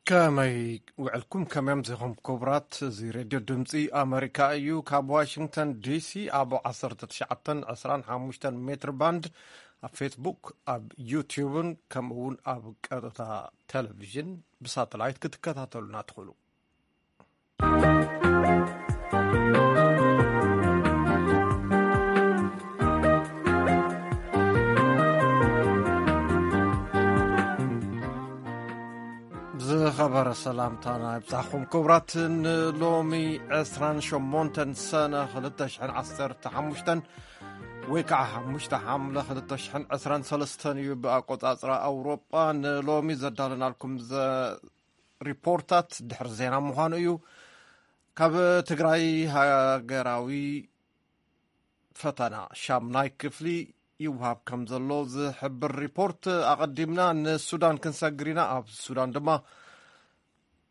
ከመይ ውዕልኩም? ከመይ ኣምሲኹም ክቡራት? እዚ ሬድዮ ድምፂ ኣመሪካ እዩ። ካብ ዋሽንግተን ዲሲ ኣብ ዓሰርተ ትሽዓተን ዕስራን ሓሙሽተን ሜትር ባንድ ኣብ ፌስቡክ፣ ኣብ ዩቲዩብን ከምኡ እውን ኣብ ቀጥታ ቴሌቪዥን ብሳተላይት ክትከታተሉና ትኽእሉ። ዝኸበረ ሰላምታና ይብጻሕኩም ክቡራት። ንሎሚ ዕስራን ሸሞንተን ሰነ ክልተ ሽሕን ዓሰርተ ሓሙሽተን ወይ ከዓ ሓሙሽተ ሓምለ ክልተ ሽሕን ዕስራን ሰለስተን እዩ ብኣቆጻጽራ ኣውሮጳ። ንሎሚ ዘዳለናልኩም ዘ-፣ ሪፖርታት ድሕሪ ዜና ምዃኑ እዩ። ካብ ትግራይ ሃገራዊ ፈተና ሻምናይ ክፍሊ ይውሃብ ከም ዘሎ ዝሕብር ሪፖርት ኣቐዲምና ንሱዳን ክንሰግር ኢና። ኣብ ሱዳን ድማ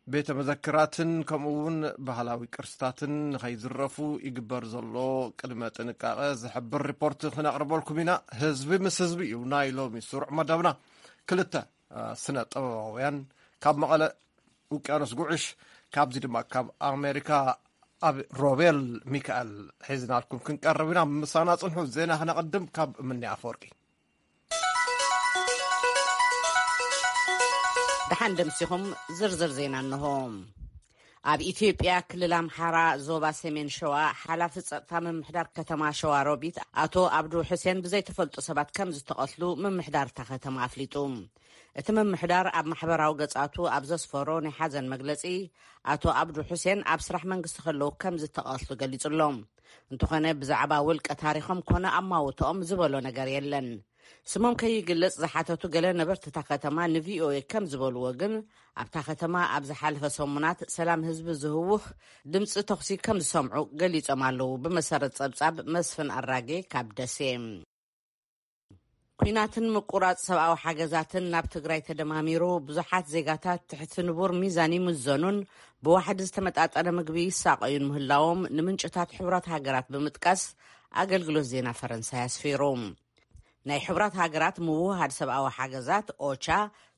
ቤተ መዘክራትን ከምኡ እውን ባህላዊ ቅርስታትን ንኸይዝረፉ ይግበር ዘሎ ቅድመ ጥንቃቐ ዝሕብር ሪፖርት ክነቕርበልኩም ኢና። ህዝቢ ምስ ህዝቢ እዩ ናይ ሎሚ ስሩዕ መደብና። ክልተ፣ አ፣ ስነ ጥበባውያን ካብ መቐለ ውቅያኖስ ጉዕሽ፣ ካብዚ ድማ ካብ ኣሜሪካ ኣብ ሮቤል ሚካኤል ሒዝናልኩም ክንቀርብ ኢና። ምሳና ጽንሑ። ዜና ክነቐድም ካብ እምኒ ኣፈወርቂ። ደሓን ደምሲኹም፣ ዝርዝር ዜና እንሆ። ኣብ ኢትዮጵያ ክልል ኣምሓራ ዞባ ሰሜን ሸዋ ሓላፊ ጸጥታ ምምሕዳር ከተማ ሸዋ ሮቢት ኣቶ ኣብዱ ሑሴን ብዘይተፈልጡ ሰባት ከም ዝተቐትሉ ምምሕዳር እታ ከተማ ኣፍሊጡ። እቲ ምምሕዳር ኣብ ማሕበራዊ ገጻቱ ኣብ ዘስፈሮ ናይ ሓዘን መግለጺ፣ ኣቶ ኣብዱ ሑሴን ኣብ ስራሕ መንግስቲ ከለዉ ከም ዝተቐትሉ ገሊጹ ኣሎ። እንተኾነ ብዛዕባ ውልቀ ታሪኾም ኮነ ኣማውትኦም ዝበሎ ነገር የለን። ስሞም ከይግለጽ ዝሓተቱ ገለ ነበርቲ እታ ከተማ ንቪኦኤ ከም ዝበልዎ ግን፣ ኣብታ ከተማ ኣብ ዝሓለፈ ሰሙናት ሰላም ህዝቢ ዝህውኽ ድምፂ ተኹሲ ከም ዝሰምዑ ገሊጾም ኣለዉ። ብመሰረት ጸብጻብ መስፍን ኣራጌ ካብ ደሴ። ኲናትን ምቁራጽ ሰብኣዊ ሓገዛትን ናብ ትግራይ ተደማሚሩ፣ ብዙሓት ዜጋታት ትሕቲ ንቡር ሚዛን ይምዘኑን ብዋሕዲ ዝተመጣጠነ ምግቢ ይሳቐዩን ምህላዎም ንምንጭታት ሕቡራት ሃገራት ብምጥቃስ ኣገልግሎት ዜና ፈረንሳይ ኣስፊሩ። ናይ ሕቡራት ሃገራት ምውህሃድ ሰብኣዊ ሓገዛት ኦቻ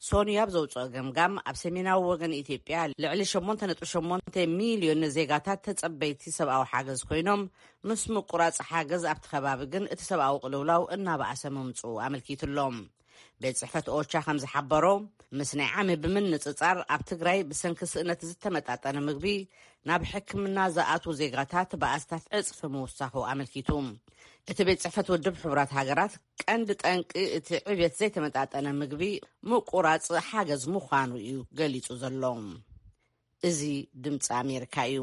ሶንዩ ኣብ ዘውፅኦ ገምጋም፣ ኣብ ሰሜናዊ ወገን ኢትዮጵያ ልዕሊ ሸሞንተ ነጥቢ ሸሞንተ ሚልዮን ዜጋታት ተጸበይቲ ሰብኣዊ ሓገዝ ኮይኖም፣ ምስ ምቁራጽ ሓገዝ ኣብቲ ከባቢ ግን እቲ ሰብኣዊ ቅልውላው እናበኣሰ ምምጽኡ ኣመልኪቱ ኣሎ። ቤት ጽሕፈት ኦቻ ከም ዝሓበሮ፣ ምስ ናይ ዓሚ ብምንጽጻር ኣብ ትግራይ ብሰንኪ ስእነት ዝተመጣጠነ ምግቢ ናብ ሕክምና ዝኣትዉ ዜጋታት ብኣስታት ዕጽፊ ምውሳኹ ኣመልኪቱ። እቲ ቤት ጽሕፈት ውድብ ሕቡራት ሃገራት ቀንዲ ጠንቂ እቲ ዕብየት ዘይተመጣጠነ ምግቢ ምቁራጽ ሓገዝ ምዃኑ እዩ ገሊጹ ዘሎ። እዚ ድምፂ ኣሜሪካ እዩ።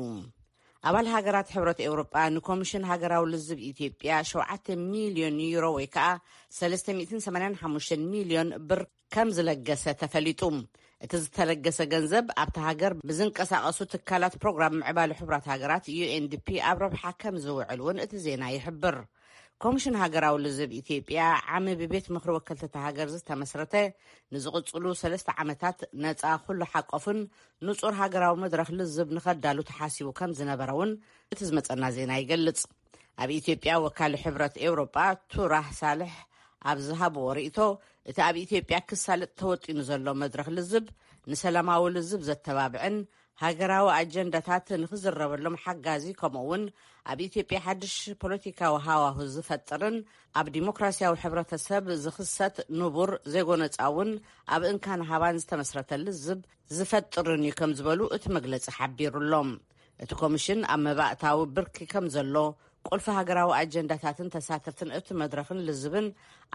ኣባል ሃገራት ሕብረት ኤውሮጳ ንኮሚሽን ሃገራዊ ልዝብ ኢትዮጵያ ሸውዓተ ሚልዮን ዩሮ ወይ ከዓ ሰለስተ ሚእትን ሰማንያን ሓሙሽተን ሚልዮን ብር ከም ዝለገሰ ተፈሊጡ። እቲ ዝተለገሰ ገንዘብ ኣብታ ሃገር ብዝንቀሳቐሱ ትካላት ፕሮግራም ምዕባለ ሕቡራት ሃገራት ዩ ኤን ዲ ፒ ኣብ ረብሓ ከም ዝውዕል እውን እቲ ዜና ይሕብር። ኮሚሽን ሃገራዊ ልዝብ ኢትዮጵያ ዓሚ ብቤት ምኽሪ ወከልቲ እታ ሃገር ዝተመስረተ ንዝቕጽሉ ሰለስተ ዓመታት ነጻ ኩሉ ሓቆፍን ንጹር ሃገራዊ መድረኽ ልዝብ ንኸዳሉ ተሓሲቡ ከም ዝነበረ እውን እቲ ዝመጸና ዜና ይገልጽ። ኣብ ኢትዮጵያ ወካሊ ሕብረት ኤውሮጳ ቱራህ ሳልሕ ኣብ ዝሃብዎ ርእይቶ፣ እቲ ኣብ ኢትዮጵያ ክሳለጥ ተወጢኑ ዘሎ መድረኽ ልዝብ ንሰላማዊ ልዝብ ዘተባብዕን ሃገራዊ ኣጀንዳታት ንኽዝረበሎም ሓጋዚ፣ ከምኡ እውን ኣብ ኢትዮጵያ ሓድሽ ፖለቲካዊ ሃዋሁ ዝፈጥርን ኣብ ዲሞክራሲያዊ ሕብረተሰብ ዝኽሰት ንቡር ዘይጎነጻውን ኣብ እንካን ሃባን ዝተመስረተ ልዝብ ዝፈጥርን እዩ ከም ዝበሉ እቲ መግለጺ ሓቢሩ ኣሎ። እቲ ኮሚሽን ኣብ መባእታዊ ብርኪ ከም ዘሎ፣ ቁልፊ ሃገራዊ ኣጀንዳታትን ተሳተፍትን እቲ መድረኽን ልዝብን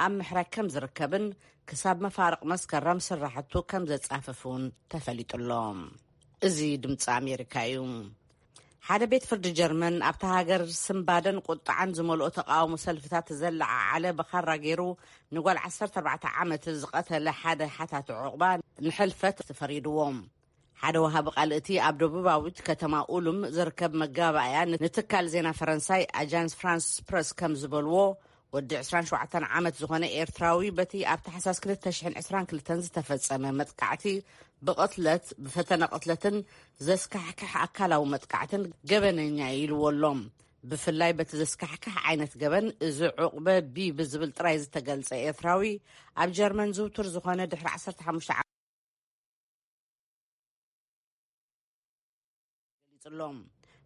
ኣብ ምሕራይ ከም ዝርከብን ክሳብ መፋርቕ መስከረም ስራሕቱ ከም ዘጻፍፍ እውን ተፈሊጡ ኣሎ። እዚ ድምፂ ኣሜሪካ እዩ። ሓደ ቤት ፍርዲ ጀርመን ኣብታ ሃገር ስምባደን ቁጥዓን ዝመልኦ ተቃውሞ ሰልፍታት ዘለዓዓለ ብኻራ ገይሩ ንጓል ዓሰርተ ኣርባዕተ ዓመት ዝቐተለ ሓደ ሓታቲ ዑቕባ ንሕልፈት ፈሪድዎ። ሓደ ወሃቢ ቃል እቲ ኣብ ደቡባዊት ከተማ ኡሉም ዝርከብ መጋባእያ ንትካል ዜና ፈረንሳይ ኣጃንስ ፍራንስ ፕረስ ከም ዝበልዎ፣ ወዲ ዕስራን ሸውዓተን ዓመት ዝኾነ ኤርትራዊ በቲ ኣብ ታሕሳስ ክልተ ሽሕን ዕስራን ክልተን ዝተፈጸመ መጥቃዕቲ ብቕትለት፣ ብፈተነ ቅትለትን ዘስካሕክሕ ኣካላዊ መጥቃዕትን ገበነኛ እዩ ኢልዎ ኣሎ። ብፍላይ በቲ ዘስካሕክሕ ዓይነት ገበን፣ እዚ ዑቕበ ቢ ብዝብል ጥራይ ዝተገልጸ ኤርትራዊ ኣብ ጀርመን ዝውቱር ዝኾነ ድሕሪ ዓሰርተ ሓሙሽተ ጽሎም።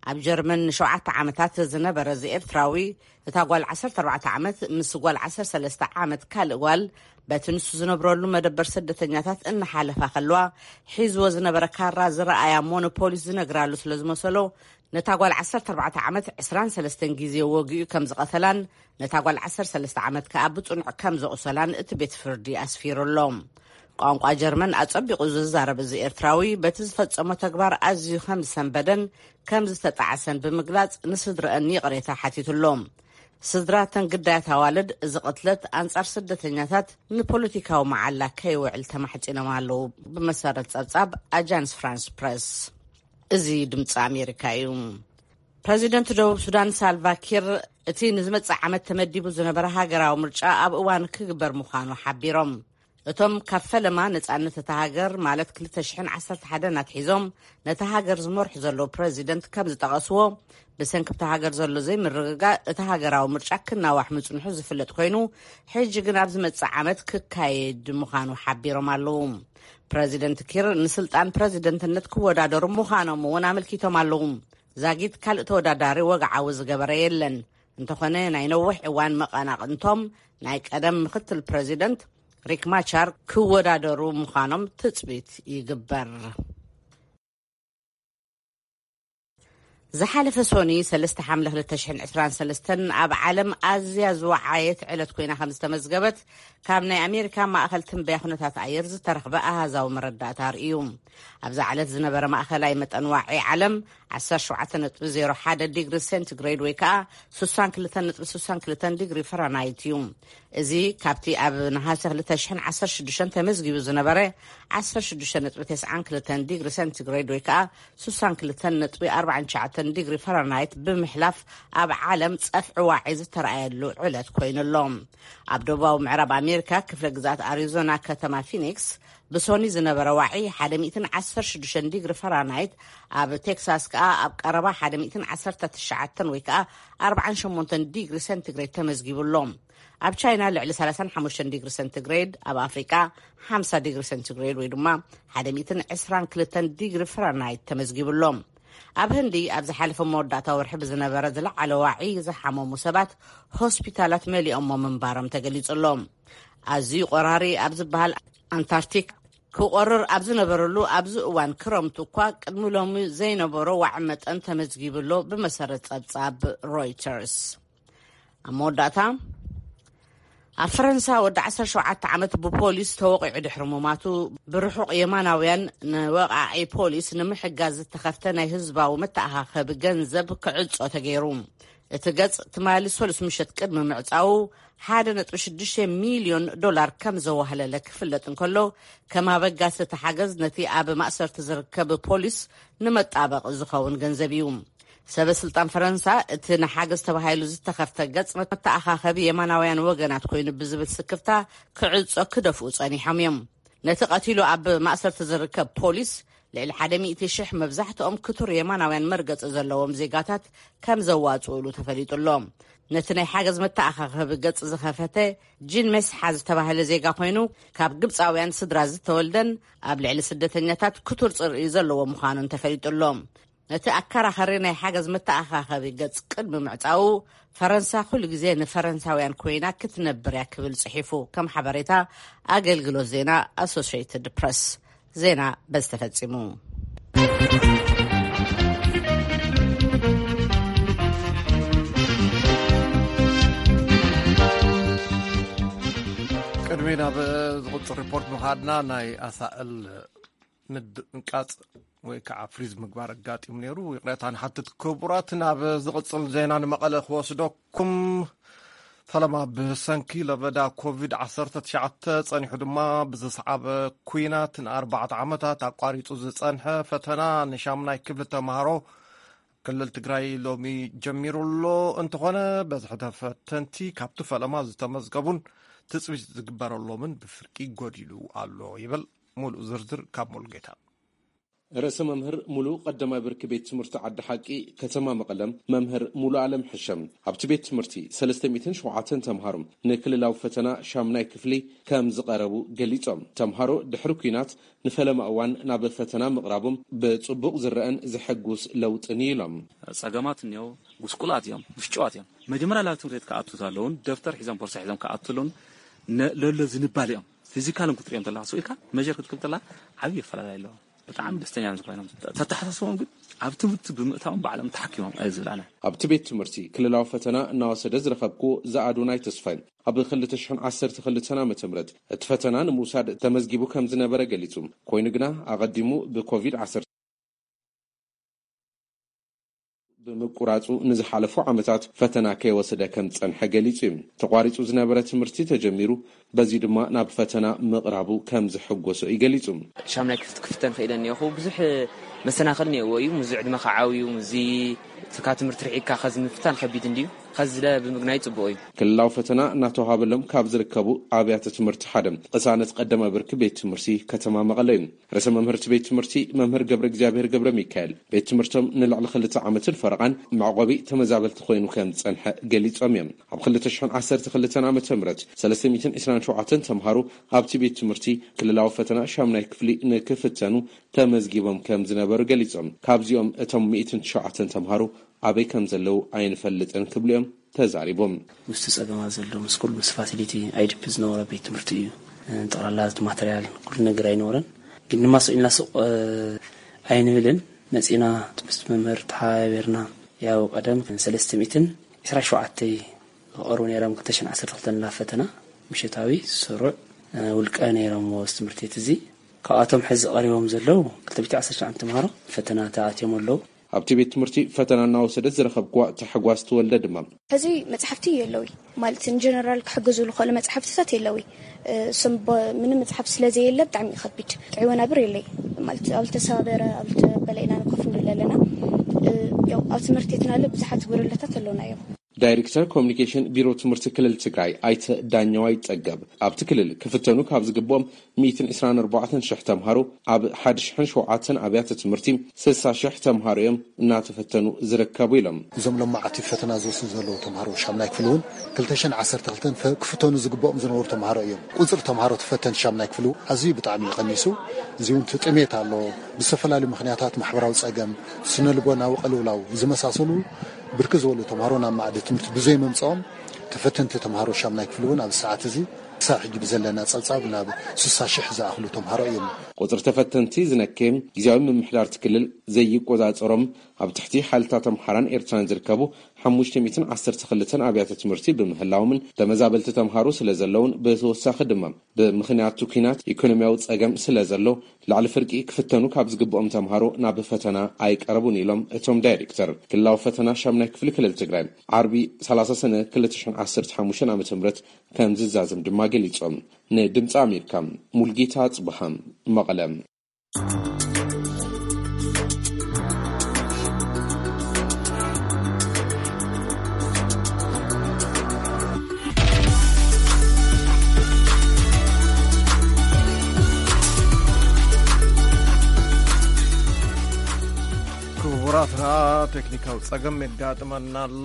ኣብ ጀርመን ንሸውዓተ ዓመታት ዝነበረ እዚ ኤርትራዊ፣ እታ ጓል ዓሰርተ ኣርባዕተ ዓመት ምስ ጓል ዓሰርተ ሰለስተ ዓመት ካልእ ጓል፣ በቲ ንሱ ዝነብረሉ መደበር ስደተኛታት እናሓለፋ ከለዋ፣ ሒዝዎ ዝነበረ ካራ ዝረኣያ እሞ ንፖሊስ ዝነግራሉ ስለ ዝመሰሎ፣ ነታ ጓል ዓሰርተ ኣርባዕተ ዓመት ዕስራን ሰለስተን ግዜ ወጊኡ ከም ዝቐተላን፣ ነታ ጓል ዓሰርተ ሰለስተ ዓመት ከኣ ብጽኑዕ ከም ዘቑሰላን እቲ ቤት ፍርዲ ኣስፊሩ ኣሎ። ቋንቋ ጀርመን ኣጸቢቑ ዝዛረብ እዚ ኤርትራዊ፣ በቲ ዝፈጸሞ ተግባር ኣዝዩ ከም ዝሰንበደን ከም ዝተጣዕሰን ብምግላጽ፣ ንስድረአን ይቕሬታ ሓቲቱ ኣሎ። ስድራ እተን ግዳያት ኣዋልድ፣ እዚ ቅትለት ኣንጻር ስደተኛታት ንፖለቲካዊ መዓላ ከይውዕል ተማሕጺኖም ኣለዉ፣ ብመሰረት ጸብጻብ ኣጃንስ ፍራንስ ፕረስ። እዚ ድምጺ ኣሜሪካ እዩ። ፕረዚደንት ደቡብ ሱዳን ሳልቫ ኪር፣ እቲ ንዝመጽእ ዓመት ተመዲቡ ዝነበረ ሃገራዊ ምርጫ ኣብ እዋን ክግበር ምዃኑ ሓቢሮም። እቶም ካብ ፈለማ ነጻነት እታ ሃገር፣ ማለት ክልተ ሽሕን ዓሰርተ ሓደን ኣትሒዞም ነታ ሃገር ዝመርሑ ዘለዉ ፕረዚደንት ከም ዝጠቐስዎ፣ ብሰንኪ እታ ሃገር ዘሎ ዘይምርግጋእ እቲ ሃገራዊ ምርጫ ክናዋሕ ምጽንሑ ዝፍለጥ ኮይኑ፣ ሕጂ ግን ኣብ ዝመጽእ ዓመት ክካየድ ምዃኑ ሓቢሮም ኣለዉ። ፕረዚደንት ኪር ንስልጣን ፕረዚደንትነት ክወዳደሩ ምዃኖም እውን ኣመልኪቶም ኣለዉ። ዛጊት ካልእ ተወዳዳሪ ወግዓዊ ዝገበረ የለን። እንተኾነ፣ ናይ ነዊሕ እዋን መቐናቕንቶም ናይ ቀደም ምክትል ፕረዚደንት ሪክ ማቻር ክወዳደሩ ምዃኖም ትጽቢት ይግበር። ዝሓለፈ ሶኒ፣ ሰለስተ ሓምለ ክልተ ሽሕን ዕስራን ሰለስተን፣ ኣብ ዓለም ኣዝያ ዝወዓየት ዕለት ኮይና ከም ዝተመዝገበት ካብ ናይ ኣሜሪካ ማእኸል ትንበያ ኩነታት ኣየር ዝተረኽበ ኣሃዛዊ መረዳእታ ኣርእዩ። ኣብዛ ዕለት ዝነበረ ማእኸላይ መጠን ዋዒ ዓለም ዓሰርተ ሸውዓተ ነጥቢ ዜሮ ሓደ ዲግሪ ሴንቲግሬድ ወይ ከዓ ስሳን ክልተን ነጥቢ ስሳን ክልተን ዲግሪ ፈራናይት እዩ። እዚ ካብቲ ኣብ ነሃሰ ክልተ ሽሕን ዓሰርተ ሽዱሽተን ተመዝጊቡ ዝነበረ ዓሰርተ ሽዱሽተ ነጥቢ ተስዓን ክልተን ዲግሪ ሴንቲግሬድ ወይ ከዓ ስሳን ክልተን ነጥቢ ኣርባዓን ትሽዓተን ዲግሪ ፈራናይት ብምሕላፍ፣ ኣብ ዓለም ጸፍዒ ዋዒ ዝተረኣየሉ ዕለት ኮይኑ ኣሎ። ኣብ ደቡባዊ ምዕራብ ኣሜሪካ፣ ክፍለ ግዛት ኣሪዞና፣ ከተማ ፊኒክስ፣ ብሶኒ ዝነበረ ዋዒ ሓደ ሚእትን ዓሰርተ ሽዱሽተን ዲግሪ ፈራናይት፣ ኣብ ቴክሳስ ከኣ ኣብ ቀረባ ሓደ ሚእትን ዓሰርተ ትሽዓተን ወይ ከኣ ኣርባዓን ሸሞንተን ዲግሪ ሴንቲግሬድ ተመዝጊቡ ኣሎ። ኣብ ቻይና ልዕሊ ሰላሳን ሓሙሽተን ዲግሪ ሴንቲግሬድ፣ ኣብ ኣፍሪቃ ሓምሳ ዲግሪ ሴንቲግሬድ ወይ ድማ ሓደ ሚእትን ዕስራን ክልተን ዲግሪ ፈራናይት ተመዝጊቡ ኣሎ። ኣብ ህንዲ ኣብ ዝሓለፈ መወዳእታ ወርሒ ብዝነበረ ዝለዓለ ዋዒ ዝሓመሙ ሰባት ሆስፒታላት መሊኦሞ ምንባሮም ተገሊጹ ኣሎ። ኣዝዩ ቆራሪ ኣብ ዝበሃል ኣንታርክቲክ ክቆርር ኣብ ዝነበረሉ ኣብዚ እዋን ክረምቱ እኳ ቅድሚ ሎሚ ዘይነበሮ ዋዒ መጠን ተመዝጊቡ ኣሎ፣ ብመሰረት ጸብጻብ ሮይተርስ። ኣብ መወዳእታ፣ ኣብ ፈረንሳ ወዲ ዓሰርተ ሸውዓተ ዓመት ብፖሊስ ተወቒዑ ድሕሪ ምማቱ፣ ብርሑቕ የማናውያን ንወቓዒ ፖሊስ ንምሕጋዝ ዝተኸፍተ ናይ ህዝባዊ መተኣኻኸቢ ገንዘብ ክዕጾ ተገይሩ። እቲ ገጽ ትማሊ ሰሉስ ምሸት ቅድሚ ምዕጻዉ፣ ሓደ ነጥቢ ሽዱሽተ ሚልዮን ዶላር ከም ዘዋህለለ ክፍለጥ እንከሎ፣ ከም ኣበጋሲ እቲ ሓገዝ ነቲ ኣብ ማእሰርቲ ዝርከብ ፖሊስ ንመጣበቂ ዝኸውን ገንዘብ እዩ። ሰበ ስልጣን ፈረንሳ፣ እቲ ንሓገዝ ተባሂሉ ዝተኸፍተ ገጽ መተኣኻኸቢ የማናውያን ወገናት ኮይኑ ብዝብል ስክፍታ ክዕጾ ክደፍኡ ጸኒሖም እዮም። ነቲ ቀቲሉ ኣብ ማእሰርቲ ዝርከብ ፖሊስ፣ ልዕሊ ሓደ ሚእቲ ሽሕ፣ መብዛሕትኦም ክቱር የማናውያን መርገጺ ዘለዎም ዜጋታት ከም ዘዋጽኡሉ ተፈሊጡ ኣሎ። ነቲ ናይ ሓገዝ መተኣኻኸቢ ገጽ ዝኸፈተ ጂን ሜስሓ ዝተባህለ ዜጋ ኮይኑ፣ ካብ ግብጻውያን ስድራ ዝተወልደን ኣብ ልዕሊ ስደተኛታት ክቱር ጽርኢ ዘለዎ ምዃኑን ተፈሊጡ ኣሎ። ነቲ ኣከራኸሪ ናይ ሓገዝ መተኣኻኸቢ ገጽ ቅድሚ ምዕጻዉ፣ ፈረንሳ ኩሉ ግዜ ንፈረንሳውያን ኮይና ክትነብር እያ ክብል ጽሒፉ፣ ከም ሓበሬታ ኣገልግሎት ዜና ኣሶሽየትድ ፕረስ። ዜና በዚ ተፈጺሙ። ቅድሚ ናብ ዝቕጽል ሪፖርት ምኻድና፣ ናይ ኣሳእል ምድንቃጽ ወይ ከዓ ፍሪዝ ምግባር ኣጋጢሙ ነይሩ። ይቕሬታ ንሓትት። ክቡራት፣ ናብ ዝቕጽል ዜና ንመቐለ ክወስደኩም። ፈለማ ብሰንኪ ለበዳ ኮቪድ ዓሰርተ ትሽዓተ ጸኒሑ ድማ ብዝሰዓበ ኲናት ንኣርባዕተ ዓመታት ኣቋሪጹ ዝጸንሐ ፈተና ንሻምናይ ክፍሊ ተምሃሮ ክልል ትግራይ ሎሚ ጀሚሩ ኣሎ። እንተኾነ፣ በዝሒ ተፈተንቲ ካብቲ ፈለማ ዝተመዝገቡን ትጽቢት ዝግበረሎምን ብፍርቂ ጎዲሉ ኣሎ ይብል። ሙሉእ ዝርዝር ካብ ሙሉጌታ። ርእሰ መምህር ሙሉ ቀዳማይ ብርኪ ቤት ትምህርቲ ዓዲ ሓቂ ከተማ መቐለም መምህር ሙሉ ኣለም ሕሸም ኣብቲ ቤት ትምህርቲ ሰለስተ ሚእትን ሸውዓተን ተምሃሮ ንክልላዊ ፈተና ሻምናይ ክፍሊ ከም ዝቐረቡ ገሊጾም። ተምሃሮ ድሕሪ ኲናት ንፈለማ እዋን ናብ ፈተና ምቕራቦም ብጽቡቕ ዝረአን ዘሐጉስ ለውጥን እዩ ኢሎም። ጸገማት እኒኦ፣ ጉስቁላት እዮም፣ ብሽጭዋት እዮም። መጀመርያ ናብ ትምህርቲ ቤት ክኣቱ ዘለውን ደብተር ሒዞም ቦርሳ ሒዞም ክኣቱ ኣለውን ለሎ ዝንባል እዮም። ፊዚካልን ክትሪኦም ተላ ስኢልካ መጀር ክትክብ ተላ ዓብዪ ኣፈላላይ ኣለዎ። ብጣዕሚ ደስተኛ እዮም ዝኾይኖም። ተተሓሳስቦም ግን ኣብ ትምህርቲ ብምእታዎም ባዕሎም ተሓኪሞም ኣየ ዝብላና። ኣብቲ ቤት ትምህርቲ ክልላዊ ፈተና እናወሰደ ዝረኸብኩ ዝኣዶናይ ተስፋይ ኣብ ክልተ ሽሕን ዓሰርተ ክልተን ዓመተ ምህረት እቲ ፈተና ንምውሳድ ተመዝጊቡ ከም ዝነበረ ገሊጹ። ኮይኑ ግና ኣቐዲሙ ብኮቪድ ዓሰርተ ብምቁራጹ ንዝሓለፉ ዓመታት ፈተና ከይወሰደ ከም ዝጸንሐ ገሊጹ እዩ። ተቋሪጹ ዝነበረ ትምህርቲ ተጀሚሩ፣ በዚ ድማ ናብ ፈተና ምቕራቡ ከም ዝሕጎሶ እዩ ገሊጹ። ሻምናይ ክፍት ክፍተን ኽኢለ እኒኹ። ብዙሕ መሰናኽል እኒኦዎ እዩ። ምዚ ዕድመ ኸዓብዩ፣ ምዚ ትካ ትምህርቲ ርሒቅካ ኸዚ ምፍታን ኸቢድ እንድዩ። ኸዚ ለ ብምግናይ ጽቡቕ እዩ። ክልላዊ ፈተና እናተዋሃበሎም ካብ ዝርከቡ ኣብያተ ትምህርቲ ሓደ ቅሳነት ቀዳማይ ብርኪ ቤት ትምህርቲ ከተማ መቐለ እዩ። ርእሰ መምህርቲ ቤት ትምህርቲ መምህር ገብረ እግዚኣብሔር ገብረ ሚካኤል፣ ቤት ትምህርቶም ንልዕሊ ክልተ ዓመትን ፈረቓን መዕቆቢ ተመዛበልቲ ኮይኑ ከም ዝጸንሐ ገሊጾም እዮም። ኣብ ክልተ ሽሕን ዓሰርተ ክልተን ዓመተ ምህረት ሰለስተ ሚእትን ዕስራን ሸውዓተን ተምሃሮ ኣብቲ ቤት ትምህርቲ ክልላዊ ፈተና ሻምናይ ክፍሊ ንክፍተኑ ተመዝጊቦም ከም ዝነበሩ ገሊጾም። ካብዚኦም እቶም ሚእትን ትሽዓተን ተምሃሮ ኣበይ ከም ዘለዉ ኣይንፈልጥን ክብሉ እዮም ተዛሪቦም። ምስቲ ጸገማት ዘሎ ምስ ኩሉ ምስ ፋሲሊቲ ኣይዲፒ ዝነበረ ቤት ትምህርቲ እዩ። ጠቕላላ እቲ ማተርያል ኩሉ ነገር ኣይነበረን። ግን ድማ ስቕ ኢልና ስቕ ኣይንብልን። መጺና ምስ መምህር ተሓባቢርና ያው ቀደም ሰለስተ ሚእትን ዕስራን ሸውዓተን ዝቐርቡ ነይሮም ክልተ ሽሕን ዓሰርተ ክልተን ናብ ፈተና ምሸታዊ ስሩዕ ውልቀ ነይሮም እዚ ትምህርቲ ቤት እዚ። ካብኣቶም ሕዚ ቀሪቦም ዘለዉ ክልተ ሚእትን ዓሰርተ ሸውዓተ ተምሃሮ ፈተና ተኣትዮም ኣለዉ። ኣብቲ ቤት ትምህርቲ ፈተና እናወሰደት ዝረኸብክዋ ታሕጓስ ተወልደ ድማ ሕዚ መጽሓፍቲ የለዊ ማለት ንጀነራል ክሕግዙ ዝኽእሉ መጽሓፍትታት የለዊ። ስም ምንም መጽሓፍ ስለ ዘየለ ብጣዕሚ ይኸቢድ። ጥዕወና ብር የለይ ማለት ኣብ ዝተሰባበረ ኣብ ዝተበለኢና ንኮፍ ንብል ኣለና። ያው ኣብ ትምህርቲ ትናለ ብዙሓት ጎደሎታት ኣለውና እዮም። ዳይሬክተር ኮሚኒኬሽን ቢሮ ትምህርቲ ክልል ትግራይ ኣይተ ዳኛዋይ ጸገብ ኣብቲ ክልል ክፍተኑ ካብ ዝግብኦም ሚእትን ዕስራን ኣርባዕተን ሽሕ ተምሃሮ ኣብ ሓደ ሽሕን ሸውዓተን ኣብያተ ትምህርቲ ስሳ ሽሕ ተምሃሮ እዮም እናተፈተኑ ዝርከቡ ኢሎም። እዞም ሎማዓቲ ፈተና ዝወስዱ ዘለዉ ተምሃሮ ሻምናይ ክፍሊ እውን ክልተ ሽሕን ዓሰርተ ክልተን ክፍተኑ ዝግብኦም ዝነበሩ ተምሃሮ እዮም። ቁፅሪ ተምሃሮ ተፈተንቲ ሻምናይ ክፍሊ ኣዝዩ ብጣዕሚ እዩ ቀኒሱ። እዚ እውን እቲ ጥሜት ኣሎ። ብዝተፈላለዩ ምክንያታት ማሕበራዊ ፀገም፣ ስነ ልቦናዊ ቅልውላው ዝመሳሰሉ ብርክት ዝበሉ ተምሃሮ ናብ መኣዲ ትምህርቲ ብዘይምምፅኦም ተፈተንቲ ተምሃሮ ሻምናይ ክፍሊ እውን ኣብዚ ሰዓት እዚ ክሳብ ሕጂ ብዘለና ፀብፃብ ናብ ስሳ ሽሕ ዝኣኽሉ ተምሃሮ እዮም። ቁፅሪ ተፈተንቲ ዝነከየም ግዜያዊ ምምሕዳር እቲ ክልል ዘይቆፃፀሮም ኣብ ትሕቲ ሓይልታት ኣምሓራን ኤርትራን ዝርከቡ ሓሙሽተ ሚእትን ዓሰርተ ክልተን ኣብያተ ትምህርቲ ብምህላዎምን ተመዛበልቲ ተምሃሮ ስለ ዘለውን ብተወሳኺ ድማ ብምኽንያቱ ኲናት ኢኮኖሚያዊ ፀገም ስለ ዘሎ ልዕሊ ፍርቂ ክፍተኑ ካብ ዝግብኦም ተምሃሮ ናብ ፈተና ኣይቀረቡን ኢሎም እቶም ዳይሬክተር። ክልላዊ ፈተና ሻምናይ ክፍሊ ክልል ትግራይ ዓርቢ ሰላሳ ሰነ ክልተ ሽሕን ዓሰርተ ሓሙሽተን ዓመተ ምህረት ከም ዝዛዘም ድማ ገሊጾም። ንድምፂ ኣሜሪካ ሙልጌታ ጽብሃ መቐለ። ክቡራትና ቴክኒካዊ ጸገም የጋጥመና ኣሎ።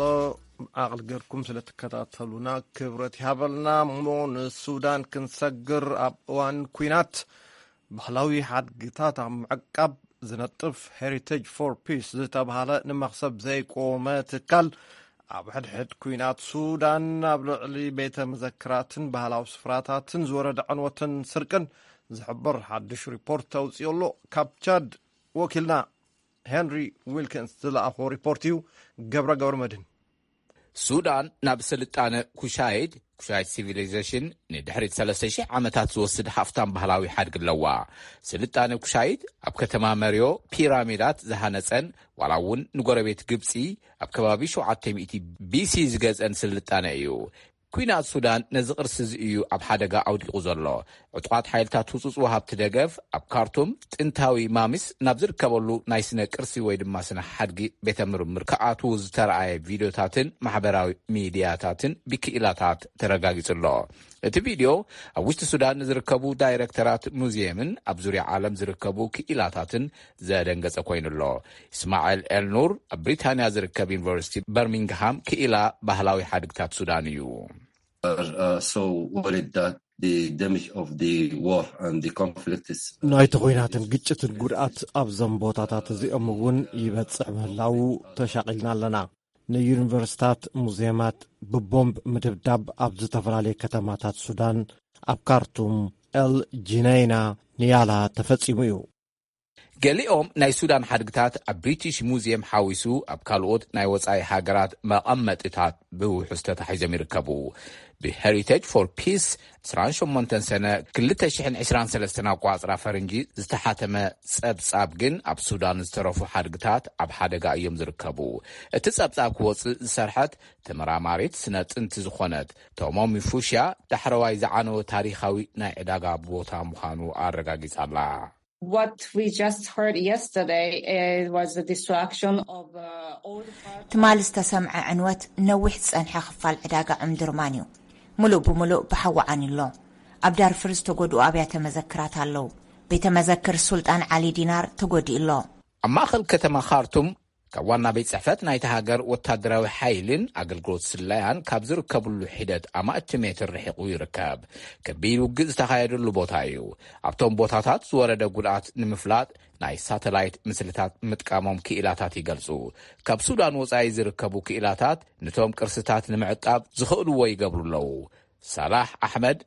ዓቕሊ ገርኩም ስለ ትከታተሉና ክብረት ይሃበልና። እሞ ንሱዳን ክንሰግር ኣብ እዋን ኲናት ባህላዊ ሓድግታት ኣብ ምዕቃብ ዝነጥፍ ሄሪቴጅ ፎር ፒስ ዝተባህለ ንመኽሰብ ዘይቆመ ትካል ኣብ ሕድሕድ ኲናት ሱዳን ኣብ ልዕሊ ቤተ መዘክራትን ባህላዊ ስፍራታትን ዝወረደ ዕንወትን ስርቅን ዝሕብር ሓድሽ ሪፖርት ኣውፅኡ ኣሎ። ካብ ቻድ ወኪልና ሄንሪ ዊልኪንስ ዝለኣኾ ሪፖርት እዩ። ገብረ ገብረ መድህን። ሱዳን ናብ ስልጣነ ኩሻይድ፣ ኩሻይድ ሲቪሊዜሽን፣ ንድሕሪት ሰለስተ ሽሕ ዓመታት ዝወስድ ሃፍታም ባህላዊ ሓድጊ ኣለዋ። ስልጣነ ኩሻይድ ኣብ ከተማ መርዮ ፒራሚዳት ዝሃነጸን ዋላ እውን ንጎረቤት ግብጺ ኣብ ከባቢ ሸውዓተ ሚእቲ ቢሲ ዝገዝአን ስልጣነ እዩ። ኲናት ሱዳን ነዚ ቅርሲ እዚ እዩ ኣብ ሓደጋ ኣውዲቑ ዘሎ። ዕጡቓት ሓይልታት ህጹጽ ወሃብቲ ደገፍ ኣብ ካርቱም ጥንታዊ ማሚስ ናብ ዝርከበሉ ናይ ስነ ቅርሲ ወይ ድማ ስነ ሓድጊ ቤተ ምርምር ክኣትዉ ዝተረኣየ ቪድዮታትን ማሕበራዊ ሚድያታትን ብክኢላታት ተረጋጊጹ ኣሎ። እቲ ቪድዮ ኣብ ውሽጢ ሱዳን ንዝርከቡ ዳይረክተራት ሙዚየምን ኣብ ዙርያ ዓለም ዝርከቡ ክኢላታትን ዘደንገጸ ኮይኑ ኣሎ። እስማኤል ኤልኑር ኣብ ብሪታንያ ዝርከብ ዩኒቨርሲቲ በርሚንግሃም ክኢላ ባህላዊ ሓድግታት ሱዳን እዩ። Are uh, so worried that the damage of the war and the conflict is ናይቲ ኹናትን ግጭትን ጉድኣት ኣብዞም ቦታታት እዚኦም እውን ይበጽሕ ምህላዉ ተሻቒልና ኣለና። ንዩኒቨርሲታት፣ ሙዚየማት ብቦምብ ምድብዳብ ኣብ ዝተፈላለየ ከተማታት ሱዳን፣ ኣብ ካርቱም፣ ኤል ጂነይና፣ ንያላ ተፈጺሙ እዩ። ገሊኦም ናይ ሱዳን ሓድግታት ኣብ ብሪቲሽ ሙዚየም ሓዊሱ ኣብ ካልኦት ናይ ወጻኢ ሃገራት መቐመጢታት ብውሑስ ተታሒዞም ይርከቡ። ብሄሪቴጅ ፎር ፒስ ዕስራን ሸሞንተን ሰነ ክልተ ሽሕን ዕስራን ሰለስተን ኣቋጽራ ፈረንጂ ዝተሓተመ ጸብጻብ ግን ኣብ ሱዳን ዝተረፉ ሓድግታት ኣብ ሓደጋ እዮም ዝርከቡ። እቲ ጸብጻብ ክወጽእ ዝሰርሐት ተመራማሪት ስነ ጥንቲ ዝኾነት ቶሞሚ ፉሽያ ዳሕረዋይ ዝዓነወ ታሪኻዊ ናይ ዕዳጋ ቦታ ምዃኑ ኣረጋጊጻ ኣላ። What we just heard yesterday uh, was the destruction of uh, all the parts. ትማሊ ዝተሰምዐ ዕንወት ነዊሕ ዝጸንሐ ክፋል ዕዳጋ ዑምድርማን እዩ። ምሉእ ብምሉእ ብሓዊ ዓንዩ ኣሎ። ኣብ ዳርፍር ዝተጎድኡ ኣብያተ መዘክራት ኣለዉ። ቤተ መዘክር ሱልጣን ዓሊ ዲናር ተጎዲኡ ኣሎ። ኣብ ማእኸል ከተማ ካርቱም ካብ ዋና ቤት ጽሕፈት ናይቲ ሃገር ወታደራዊ ሓይልን ኣገልግሎት ስለያን ካብ ዝርከብሉ ሒደት ኣማእቲ ሜትር ርሒቑ ይርከብ። ከቢድ ውግእ ዝተኻየደሉ ቦታ እዩ። ኣብቶም ቦታታት ዝወረደ ጉድኣት ንምፍላጥ ናይ ሳተላይት ምስልታት ምጥቃሞም ክኢላታት ይገልጹ። ካብ ሱዳን ወጻኢ ዝርከቡ ክኢላታት ንቶም ቅርስታት ንምዕቃብ ዝኽእልዎ ይገብሩ ኣለዉ። ሳላሕ ኣሕመድ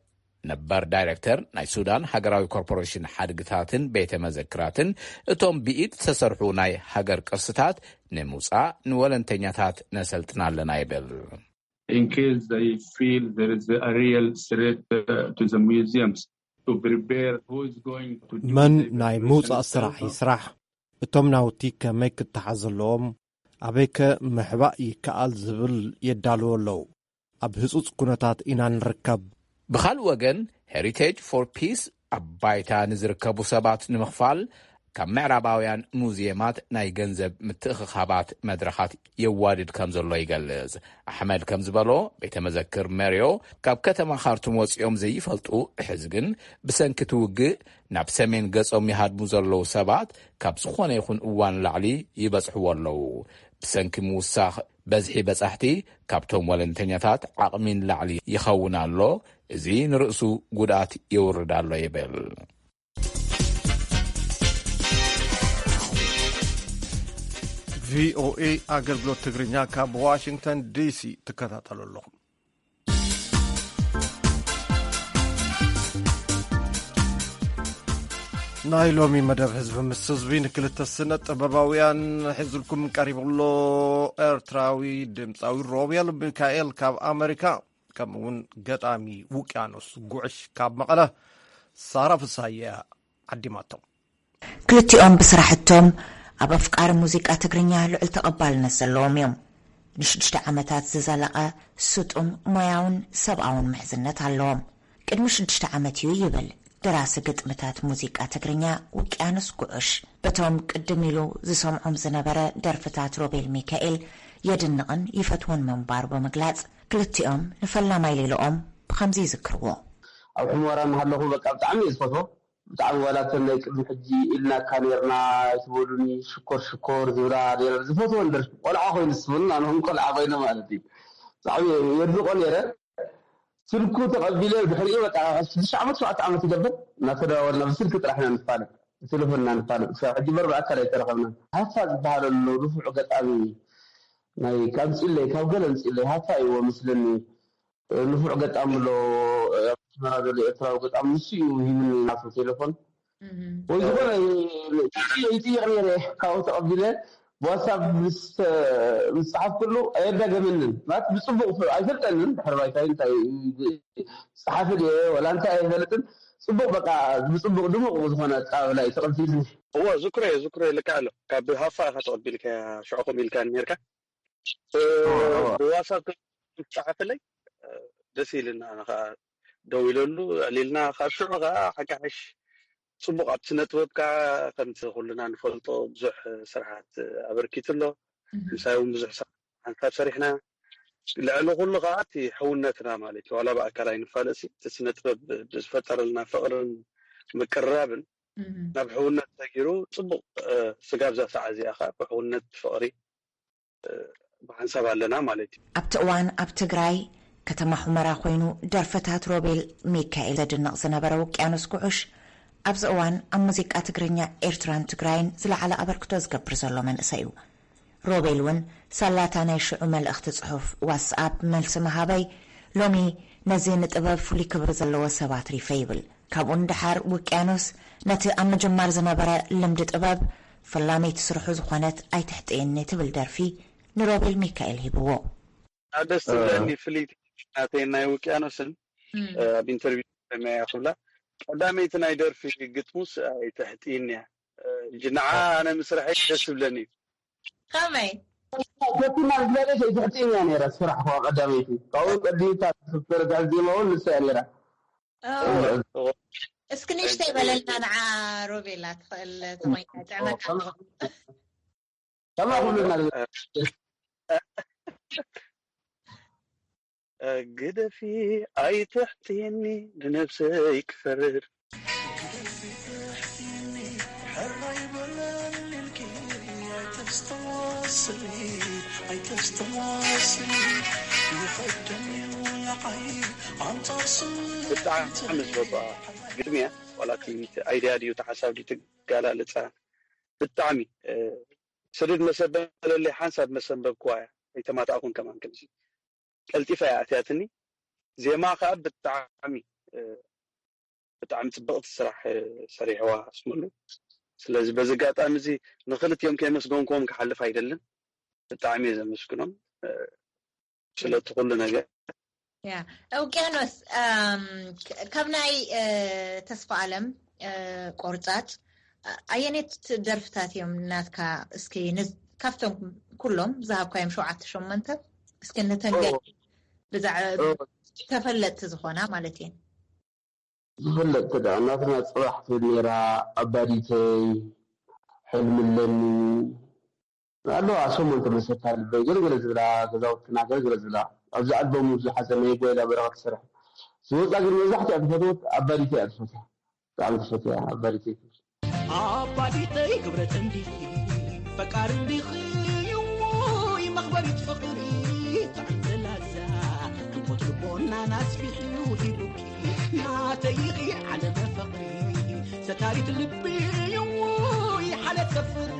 ነበር ዳይረክተር ናይ ሱዳን ሃገራዊ ኮርፖሬሽን ሓድግታትን ቤተ መዘክራትን፣ እቶም ብኢድ ዝተሰርሑ ናይ ሃገር ቅርስታት ንምውጻእ ንወለንተኛታት ነሰልጥና ኣለና ይብል። In case they feel there is a real threat uh, to the museums, to prepare who is going to do መን the ናይ evacuation ምውጻእ ስራሕ itself. ይስራሕ፣ እቶም ናውቲ ከመይ ክተሓዝ ኣለዎም፣ ኣበይከ ምሕባእ ይከኣል ዝብል የዳልዎ ኣለዉ። ኣብ ህጹጽ ኩነታት ኢና ንርከብ። ብኻልእ ወገን፣ ሄሪቴጅ ፎር ፒስ ኣብ ባይታ ንዝርከቡ ሰባት ንምኽፋል ካብ ምዕራባውያን ሙዚየማት ናይ ገንዘብ ምትእኽኻባት መድረኻት የዋድድ ከም ዘሎ ይገልጽ። ኣሕመድ ከም ዝበሎ፣ ቤተ መዘክር መርዮ ካብ ከተማ ካርቱም ወጺኦም ዘይፈልጡ፣ ሕዚ ግን ብሰንኪ እቲ ውግእ ናብ ሰሜን ገጾም ይሃድሙ ዘለዉ ሰባት ካብ ዝኾነ ይኹን እዋን ላዕሊ ይበጽሕዎ ኣለዉ። ብሰንኪ ምውሳኽ በዝሒ በጻሕቲ ካብቶም ወለንተኛታት ዓቕሚ ንላዕሊ ይኸውን ኣሎ። እዚ ንርእሱ ጉድኣት የውርድ ኣሎ ይብል። ቪኦኤ ኣገልግሎት ትግርኛ ካብ ዋሽንግተን ዲሲ ትከታተሉ ኣለኹም። ናይ ሎሚ መደብ ህዝቢ ምስ ህዝቢ ንክልተ ስነ ጥበባውያን ሒዙልኩም ቀሪቡ ኣሎ። ኤርትራዊ ድምፃዊ ሮቤል ሚካኤል ካብ ኣመሪካ፣ ከምኡ እውን ገጣሚ ውቅያኖስ ጉዕሽ ካብ መቐለ ሳራ ፍሳየ ዓዲማቶም። ክልቲኦም ብስራሕቶም ኣብ ኣፍቃሪ ሙዚቃ ትግርኛ ልዑል ተቐባልነት ዘለዎም እዮም። ንሽዱሽተ ዓመታት ዝዘለቐ ስጡም ሞያውን ሰብኣውን ምሕዝነት ኣለዎም። ቅድሚ ሽዱሽተ ዓመት እዩ ይብል ደራሲ ግጥምታት ሙዚቃ ትግርኛ ውቅያኖስ ጉዑሽ በቶም ቅድም ኢሉ ዝሰምዖም ዝነበረ ደርፍታት ሮቤል ሚካኤል የድንቕን ይፈትዎን ምንባሩ ብምግላጽ፣ ክልቲኦም ንፈላማይ ሌልኦም ብኸምዚ ይዝክርዎ። ኣብ ሕሞራ እናሃለኹ በቃ ብጣዕሚ እየ ዝፈትዎ። ብጣዕሚ ዋላ እተን ናይ ቅድሚ ሕጂ ኢልናካ ነርና ኣይትበሉኒ ሽኮር ሽኮር ዝብላ ነረ ዝፈትወን ደርፊ ቆልዓ ኮይኑ ስብን ኣነኹም ቆልዓ ኮይነ ማለት እዩ። ብጣዕሚ የድንቆ ነረ። ስልኩ ተቐቢለ ድሕሪኡ በቃ ሽዱሽተ ዓመት ሸውዓተ ዓመት ይገብር እናተደዋወልና ብስልኪ ጥራሕ ኢና ንፋለጥ ብቴሌፎን ኢና ንፋለጥ ክሳብ ሕጂ በር ብኣካል ኣይተረኸብና። ሃፋ ዝበሃል ኣሎ ንፉዕ ገጣሚ ናይ ኣምፅለይ ካብ ገለ ኣምፅለይ ሃፋ እይዎ መስለኒ። ንፉዕ ገጣሚ ኣሎ ኣብ ኣስመራ ዘሎ ኤርትራዊ ገጣሚ ንሱ እዩ ሂብኒ ናቱ ቴሌፎን ወይ ዝኾነ ይጥይቕ ነይረ ካብኡ ተቐቢለ ብዋትሳፕ ምስ ምስ ጸሓፍኩሉ ኣየዳገመንን ማለት ብጽቡቕ ፍ- ኣይፈልጠንን ድሕሪ ባይታይ እንታይ ጸሓፊ ድየ ወላ እንታይ ኣይፈልጥን ጽቡቕ በቃ ብጽቡቕ ድሙቕ ዝኾነ ኣቀባብላ እዩ ተቐቢልኒ። እወ ዝክሮ እየ ዝክሮ እየ ልክዕ ኣሎ ካብ ሃፋ ኢኻ ተቐቢልካ ሽዑ ከምኡ ኢልካ ነርካ ብዋትሳፕ ጸሓፈለይ ደስ ኢልና ኣነ ከዓ ደው ኢለሉ ዕሊልና ካብ ሽዑ ከዓ ሓካሕሽ ጽቡቕ ኣብቲ ስነ ጥበብ ከዓ ከምቲ ኩልና ንፈልጦ ብዙሕ ስራሓት ኣበርኪቱ ኣሎ። ምሳይ እውን ብዙሕ ስራሕ ሓንሳብ ሰሪሕና። ልዕሊ ኩሉ ከዓ እቲ ሕውነትና ማለት እዩ። ዋላ ብኣካል ኣይንፋለሲ እቲ ስነ ጥበብ ዝፈጠረልና ፍቕርን ምቅርራብን ናብ ሕውነት ሰጊሩ ጽቡቕ ስጋብ እዛ ሰዓት እዚኣ ከዓ ብሕውነት ፍቕሪ ብሓንሳብ ኣለና ማለት እዩ። ኣብቲ እዋን ኣብ ትግራይ ከተማ ሑመራ ኮይኑ ደርፍታት ሮቤል ሚካኤል ዘድንቕ ዝነበረ ውቅያኖስ ጉዑሽ ኣብዚ እዋን ኣብ ሙዚቃ ትግርኛ ኤርትራን ትግራይን ዝለዓለ ኣበርክቶ ዝገብር ዘሎ መንእሰይ እዩ። ሮቤል እውን ሳላታ ናይ ሽዑ መልእኽቲ ጽሑፍ ዋትስኣፕ መልሲ ምሃበይ ሎሚ ነዚ ንጥበብ ፍሉይ ክብሪ ዘለዎ ሰብ ኣትሪፈ ይብል። ካብኡ ንደሓር ውቅያኖስ ነቲ ኣብ ምጅማር ዝነበረ ልምዲ ጥበብ ፈላመይቲ ስርሑ ዝኾነት ኣይትሕጥየኒ ትብል ደርፊ ንሮቤል ሚካኤል ሂብዎ። ደስ ትብለኒ ፍልይቲ ናተይ ናይ ውቅያኖስን ኣብ ኢንተርቪው ሰሚዐያ ክብላ ቀዳመይቲ ናይ ደርፊ ግጥሙስ ኣይትሕጥይኒ እያ። ሕጂ ንዓ ኣነ ምስራሐይ ደስ ትብለኒ እዩ። ከመይ ፈቲና ዝበለሽ ኣይትሕጥይኒ እያ ነይራ ስራሕ ኳ ቀዳመይቲ ካብኡ ቀዲምታ ተረጋሕ ዜማ እውን ንሳ እያ ነይራ። እስኪ ንእሽተይ በለልና ንዓ ሮቤላ ትኽእል ተኾይንካ ጥዕመካ ከማ ኩልና ግደፊ ኣይትሕትኒ ንነብሰይ ክፈርድ ብጣዕሚ ዝበባ ግጥሚ እያ ዋላ እቲ ኣይድያ ድዩ ተሓሳብ ድዩ ትጋላለፃ ብጣዕሚ ስድድ መሰበለለይ ሓንሳብ መሰንበብክዋ እያ ኣይተማታእኩን ከማን ከምዚ ቀልጢፋ እያ ኣትያትኒ ዜማ ከዓ ብጣዕሚ ብጣዕሚ ፅብቕቲ ስራሕ ሰሪሕዋ ኣስመሉ ስለዚ በዚ ኣጋጣሚ እዚ ንክልቲኦም ከየመስገንክዎም ክሓልፍ ኣይደልን ብጣዕሚ እየ ዘመስግኖም ስለቲ ኩሉ ነገር ያ ውቅያኖስ ካብ ናይ ተስፋ ኣለም ቆርፃፅ ኣየኔት ደርፍታት እዮም ናትካ እስኪ ካብቶም ኩሎም ዝሃብካዮም ሸውዓተ ሸሞንተ እስኪ ንተንገ ብዛዕባ ተፈለጥቲ ዝኾና ማለት እየን ዝፍለጥ ክዳ እናትና ፅባሕ ትብል ነይራ ኣባዲተይ ሕልሚ ኣለኒ ኣለዋ ሸሞንተ መሰታ ልበይ ገለገለ ዝብላ ገዛውትና ገለገለ ዝብላ ኣብዚ ኣልበሙ ዝሓዘ ናይ ጓይላ በረኸት ትሰርሕ ዝወፃ ግን መብዛሕትኣ ትፈትወት ኣባዲተይ እያ ትፈትያ ብጣዕሚ ትፈትያ ኣባዲተይ ትብል ኣባዲተይ ክብረት እንዲኺ ፈቃር እንዲኺ እዎይ መኽበሪት ፍቕሪ ጥዕምቲ ላዛ ዕንቆት ልቦናን ኣስፊሑ ሂቡኪ ናተይ ኢኺ ዓለመ ፍቕሪ ሰታሪት ልቢ እዎይ ሓለት ሰፍሪ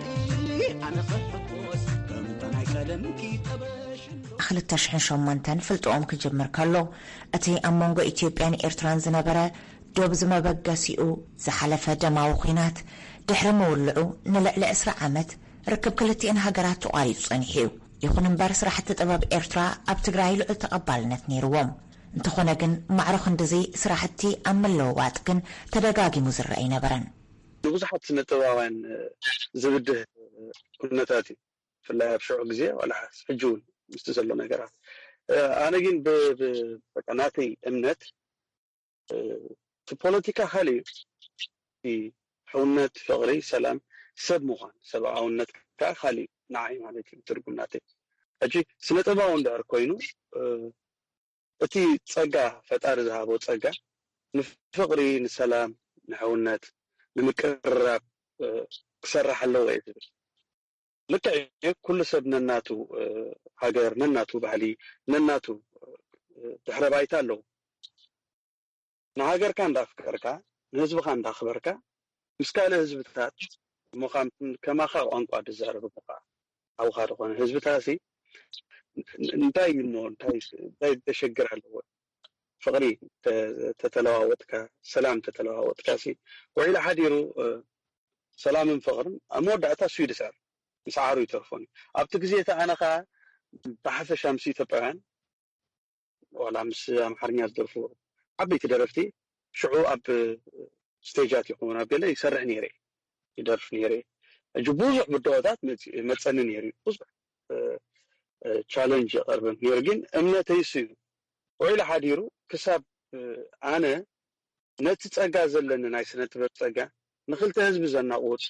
ኣነ ክሕጎስ ከምታ ናይ ቀደምኪ ጠበሽ ኣሎ ክልተ ሽሕን ሸሞንተን ፍልጥኦም ክጅምር ከሎ እቲ ኣብ መንጎ ኢትዮጵያን ኤርትራን ዝነበረ ዶብ ዝመበገሲኡ ዝሓለፈ ደማዊ ኲናት ድሕሪ ምውልዑ ንልዕሊ ዕስራ ዓመት ርክብ ክልቲኤን ሃገራት ተቋሪጹ ጸኒሑ እዩ። ይኹን እምበር ስራሕቲ ጥበብ ኤርትራ ኣብ ትግራይ ልዑል ተቐባልነት ነይርዎም። እንተኾነ ግን ማዕረ ክንድዚ ስራሕቲ ኣብ ምልውዋጥ ግን ተደጋጊሙ ዝረአ ኣይነበረን። ንብዙሓት ስነ ጥበባውያን ዝብድህ ኩነታት እዩ። ብፍላይ ኣብ ሽዑ ግዜ ዋላ ሕጂ እውን ምስቲ ዘሎ ነገራት ኣነ ግን ናተይ እምነት እቲ ፖለቲካ ካልእ እዩ ሕውነት ፍቕሪ ሰላም ሰብ ምዃን ሰብኣውነት ከዓ ካልእ እዩ ንዓይ ማለት እዩ ትርጉም ናተይ ሕጂ ስነ ጥበባዊ እንድሕር ኮይኑ እቲ ጸጋ ፈጣሪ ዝሃቦ ጸጋ ንፍቕሪ ንሰላም ንሕውነት ንምቅርራብ ክሰርሕ ኣለዎ እየ ዝብል ልክዕ እዩ ኩሉ ሰብ ነናቱ ሃገር ነናቱ ባህሊ ነናቱ ድሕረ ባይታ ኣለዎ ንሃገርካ እንዳፍቀርካ ንህዝብኻ እንዳኽበርካ ምስ ካልእ ህዝብታት እሞ ከማኻ ቋንቋ ዝዛረብ እሞ ከዓ ሓውኻ ዝኾነ ህዝብታሲ እንታይ እሞ እንታይ እንታይ ዘሸግር ኣለዎ ፍቕሪ ተተለዋወጥካ ሰላም ተተለዋወጥካ ሲ ውዒሉ ሓዲሩ ሰላምን ፍቕርን ኣብ መወዳእታ እሱ ይድስዕር ምስዓሩ ይተርፎን እዩ ኣብቲ ግዜ እቲ ኣነ ከዓ ብሓፈሻ ምስ ኢትዮጵያውያን ዋላ ምስ ኣምሓርኛ ዝደርፉ ዓበይቲ ደረፍቲ ሽዑ ኣብ ስቴጃት ይኹን ኣብ ገለ ይሰርሕ ነይረ ይደርፍ ነይረ ሕጂ ብዙሕ ብድሆታት መፀኒ ነይሩ ብዙሕ ቻለንጅ የቐርብም ነይሩ ግን እምነተይ እሱ እዩ ውዒሉ ሓዲሩ ክሳብ ኣነ ነቲ ጸጋ ዘለኒ ናይ ስነ ጥበብ ጸጋ ንክልተ ህዝቢ ዘናቑት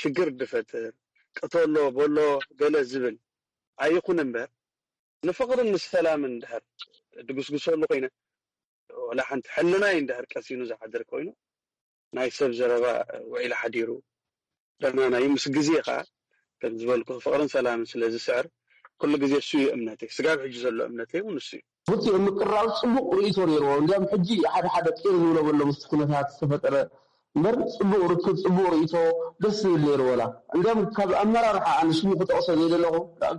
ሽግር ድፈጥር ቅተሎ በሎ ገለ ዝብል ኣይኹን እምበር ንፍቕርን ንሰላምን እንድሕር ድግስግሰሉ ኮይነ ወላ ሓንቲ ሕልናይ እንድሕር ቀሲኑ ዝሓድር ኮይኑ ናይ ሰብ ዘረባ ውዒሉ ሓዲሩ ደናናዩ ምስ ግዜ ከዓ ከም ዝበልኩ ፍቕርን ሰላምን ስለ ዝስዕር ኩሉ ግዜ እሱ እዩ እምነተይ። ስጋብ ሕጂ ዘሎ እምነተይ እውን እሱ እዩ። ብቲኦም ምቅራብ ፅቡቅ ርእቶ ነይርዎ። እንዲያም ሕጂ ሓደ ሓደ ቂር ዝብሎ በሎ ምስ ኩነታት ዝተፈጠረ እምበር ፅቡቅ ርክብ ፅቡቅ ርእቶ ደስ ዝብል ነይሩ። ወላ እንዲያም ካብ ኣመራርሓ ኣነ ሽሙ ክጠቕሶ ዘይደለኹ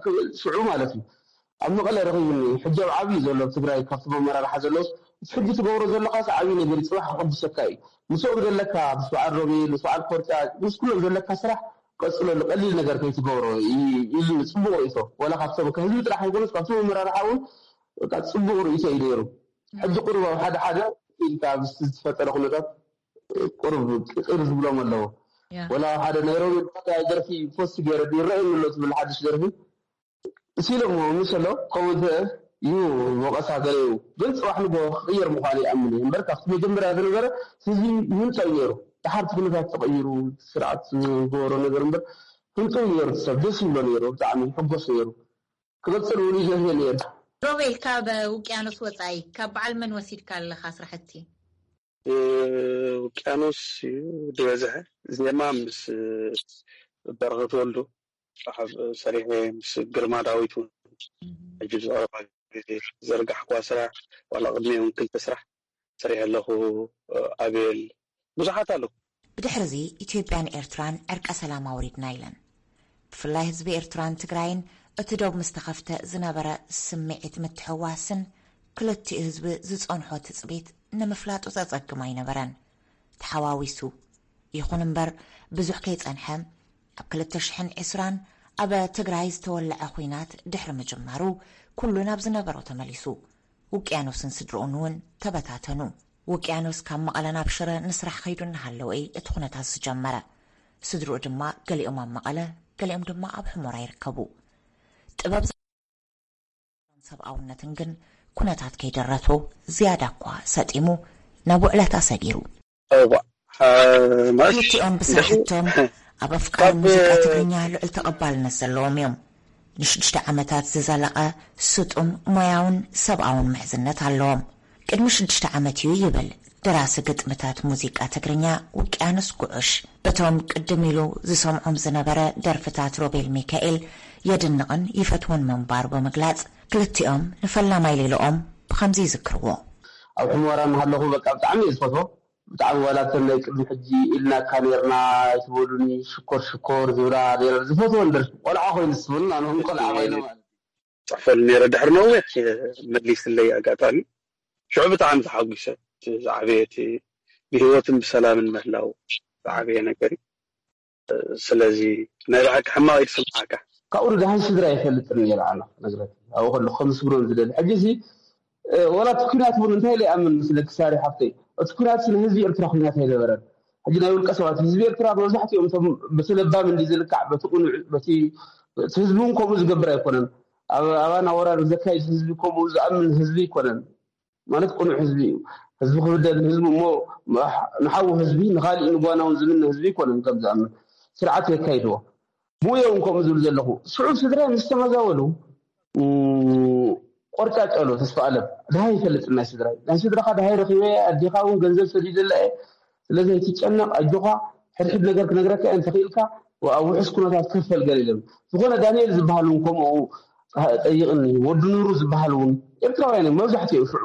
ክብል ሽዑ ማለት እዩ ኣብ መቐለ ረኺቡኒ። ሕጂ ኣብ ዓብዩ ዘሎ ኣብ ትግራይ ካብቶም ኣመራርሓ ዘለውስ እቲ ሕጂ ትገብሮ ዘለኻስ ዓብዩ ነገር እዩ፣ ፅባሕ ክቕድሰካ እዩ። ምስኦም ዘለካ ምስ በዓል ሮቤል ምስ በዓል ኮርጫ ምስ ኩሎም ዘለካ ስራሕ ቀፅለሉ፣ ቀሊል ነገር ከይትገብሮ ኢሉኒ። ፅቡቅ ርእቶ ወላ ካብቶም ከህዝቢ ጥራሕ ኣይኮነስ ካብቶም ኣመራርሓ እውን በቃ ፅቡቅ ርእቶ እዩ ነይሩ። ሕጂ ቁሩብ ኣብ ሓደ ሓደ ኢልካ ምስቲ ዝተፈጠረ ኩነታት ቁሩብ ቅር ዝብሎም ኣለዉ። ወላ ሓደ ናይ ሮቤል ሓደ ደርፊ ፖስት ገይረ ይረአየኒ ኣሎ ትብል ሓድሽ ደርፊ ሲለሞ ምሰሎ ከምኡ እንተ እዩ ወቐሳ ገለ እዩ ግን ፅባሕ ንጎ ክቕየር ምዃኑ ይኣምን እየ እምበር ካብቲ መጀመርያ ዝነበረ ህዝቢ ይህንጠው ነይሩ። ድሓር እቲ ኩነታት ተቐይሩ ስርዓት ዝገበሮ ነገር እምበር ህንጠው ነይሩ። ሰብ ደስ ይብሎ ነይሩ፣ ብጣዕሚ ይሕጎስ ነይሩ። ክቕፅል እውን ይደልዮ ነይሩ። ሮቤል ካብ ውቅያኖስ ወፃኢ ካብ በዓል መን ወሲድካ ኣለካ ስራሕቲ? ውቅያኖስ እዩ ዝበዝሐ ዜማ ምስ በረኸት ወልዱ ሰሪሐ ምስ ግርማ ዳዊት እውን ሕጂ ዝቐረባ ግዜ ዘርጋሕኳ ስራሕ ዋላ ቅድሚ እውን ክልተ ስራሕ ሰሪሐ ኣለኹ። ኣቤል ብዙሓት ኣለዉ። ብድሕርዚ ኢትዮጵያን ኤርትራን ዕርቀ ሰላም ኣውሪድና ኢለን። ብፍላይ ህዝቢ ኤርትራን ትግራይን እቲ ዶብ ምስ ተኸፍተ ዝነበረ ስምዒት ምትሕውዋስን ክልቲኡ ህዝቢ ዝጸንሖ ትጽቢት ንምፍላጡ ዘጸግም ኣይነበረን። ተሓዋዊሱ። ይኹን እምበር ብዙሕ ከይጸንሐ ኣብ ክልተ ሽሕን ዕስራን ኣብ ትግራይ ዝተወለዐ ኹናት ድሕሪ ምጅማሩ ኩሉ ናብ ዝነበሮ ተመሊሱ። ውቅያኖስን ስድርኡን እውን ተበታተኑ። ውቅያኖስ ካብ መቐለ ናብ ሽረ ንስራሕ ከይዱ እናሃለወ እዩ እቲ ኩነታት ዝጀመረ። ስድርኡ ድማ ገሊኦም ኣብ መቐለ ገሊኦም ድማ ኣብ ሑመራ ይርከቡ። ጥበብ ሰብኣውነትን ግን ኩነታት ከይደረቶ ዝያዳ እኳ ሰጢሙ ናብ ውዕለት ኣሰጊሩ። ክልቲኦም ብስራሕቶም ኣብ ኣፍቃሪ ሙዚቃ ትግርኛ ልዑል ተቐባልነት ዘለዎም እዮም። ንሽዱሽተ ዓመታት ዝዘለቐ ስጡም ሞያውን ሰብኣውን ምሕዝነት ኣለዎም። ቅድሚ ሽዱሽተ ዓመት እዩ ይብል ደራሲ ግጥምታት ሙዚቃ ትግርኛ ውቅያኖስ ጉዑሽ። በቶም ቅድም ኢሉ ዝሰምዖም ዝነበረ ደርፍታት ሮቤል ሚካኤል የድንቕን ይፈትዎን ምንባሩ ብምግላጽ፣ ክልቲኦም ንፈላማይ ሌልኦም ብኸምዚ ይዝክርዎ። ኣብ ሑመራ እናሃለኹ በቃ ብጣዕሚ እየ ዝፈትዎ። ብጣዕሚ ዋላ እተን ናይ ቅድሚ ሕጂ ኢልናካ ኔርና ኣይትበሉኒ ሽኮር ሽኮር ዝብላ ኔረን ዝፈትወን ደርፊ ቆልዓ ኮይኑ ዝስብሉን ኣነ እውን ቆልዓ ኮይነ ማለት እዩ። ፅሕፈሉ ነይረ ድሕሪ ነዊሕ መሊስለይ ኣጋጣሚ ሽዑ ብጣዕሚ ተሓጒሰ። እቲ ዝዓበየ እቲ ብህይወትን ብሰላምን ምህላው ዝዓበየ ነገር እዩ። ስለዚ ናይ ብሓቂ ሕማቕ እዩ ዝስምዓካ። ካብኡ ንደሃይ ስድራ ይፈልጥን ነይረ ኣነ ነግረካ ኣብኡ ከለኹ ከምስግኖም ዝደሊ ሕጂ እዚ ወላ እቲ ኩናት እውን እንታይ ኢለ ይኣምን ምስለኪ ሳሪ ሓፍተይ እቲ ኩናት ንህዝቢ ኤርትራ ኩናት ኣይነበረን ሕጂ ናይ ውልቀ ሰባት ህዝቢ ኤርትራ መብዛሕትኦም እቶም በቲ ለባም እንዲ ዝልካዕ በቲ ቁኑዕ በቲ እቲ ህዝቢ እውን ከምኡ ዝገብር ኣይኮነን ኣባና ወራር ዘካይድ ህዝቢ ከምኡ ዝኣምን ህዝቢ ኣይኮነን ማለት ቅኑዕ ህዝቢ እዩ። ህዝቢ ክብደል ህዝቢ እሞ ንሓዉ ህዝቢ ንኻሊእ ንጓና እውን ዝምነ ህዝቢ ኣይኮነን ከም ዝኣምን ስርዓት የካይድዎ። ብኡ እዮም ከምኡ ዝብል ዘለኹ። ሽዑ ስድራይ ምስ ተመዛበሉ ቆርጫጭ ኣሎ ተስፋኣለም። ደሃይ ኣይፈልጥን ናይ ስድራይ። ናይ ስድራኻ ደሃይ ረኺበ ኣዴኻ እውን ገንዘብ ሰዲደላ እየ ስለዚ ኣይትጨነቕ ኣጆኻ ሕድሕድ ነገር ክነግረካ እየ እንተኽኢልካ ኣብ ውሑስ ኩነታት ክፈል ገለ ኢሎም ዝኾነ ዳንኤል ዝበሃል እውን ከምኡ ጠይቕኒ ወዲ ኑሩ ዝበሃል እውን ኤርትራውያን እዮም መብዛሕትኦም ሽዑ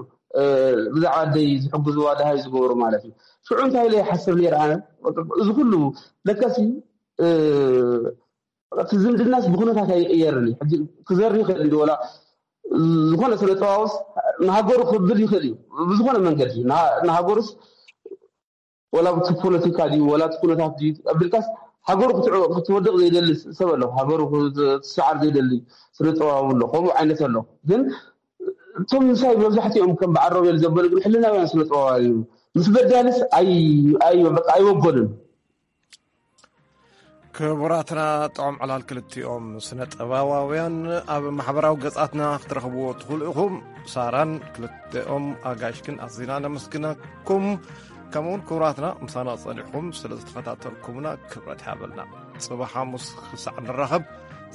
ብዛዕባ ኣደይ ዝሕግዝዋ ደሃይ ዝገበሩ ማለት እዩ ሽዑ እንታይ ኢለ ይሓስብ ነይረ ኣነ እዚ ኩሉ ለካሲ እቲ ዝምድናስ ብኩነታት ኣይቕየርን እዩ ሕጂ ክዘር ይኽእል እንዲ ወላ ዝኾነ ስነ ጥበባውስ ንሃገሩ ክብል ይኽእል እዩ ብዝኾነ መንገዲ ንሃገሩስ ወላ እቲ ፖለቲካ ድዩ ወላ እቲ ኩነታት ድዩ ኣቢልካስ ሃገሩ ክትወድቕ ዘይደሊ ሰብ ኣሎ ሃገሩ ክትስዓር ዘይደሊ ስነ ጥበባዊ ኣሎ ከምኡ ዓይነት ኣሎ ግን እቶም ምሳይ መብዛሕትኦም ከም በዓል ሮቤል ዘበሉ ግን ሕልናውያን ስነ ጥበባውያን እዮም ምስ በዳልስ ኣይወገኑን ክቡራትና ጥዑም ዕላል ክልቲኦም ስነ ጥበባውያን ኣብ ማሕበራዊ ገጻትና ክትረኽብዎ ትኽእሉ ኢኹም። ሳራን ክልቲኦም ኣጋይሽክን ኣዚና ነመስግነኩም። ከምኡውን ክቡራትና ምሳና ጸኒሕኩም ስለ ዝተኸታተልኩምና ክብረት ይሃበልና። ጽባሕ ሓሙስ ክሳዕ ንራኸብ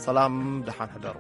ሰላም ደሓን ሕደሩ።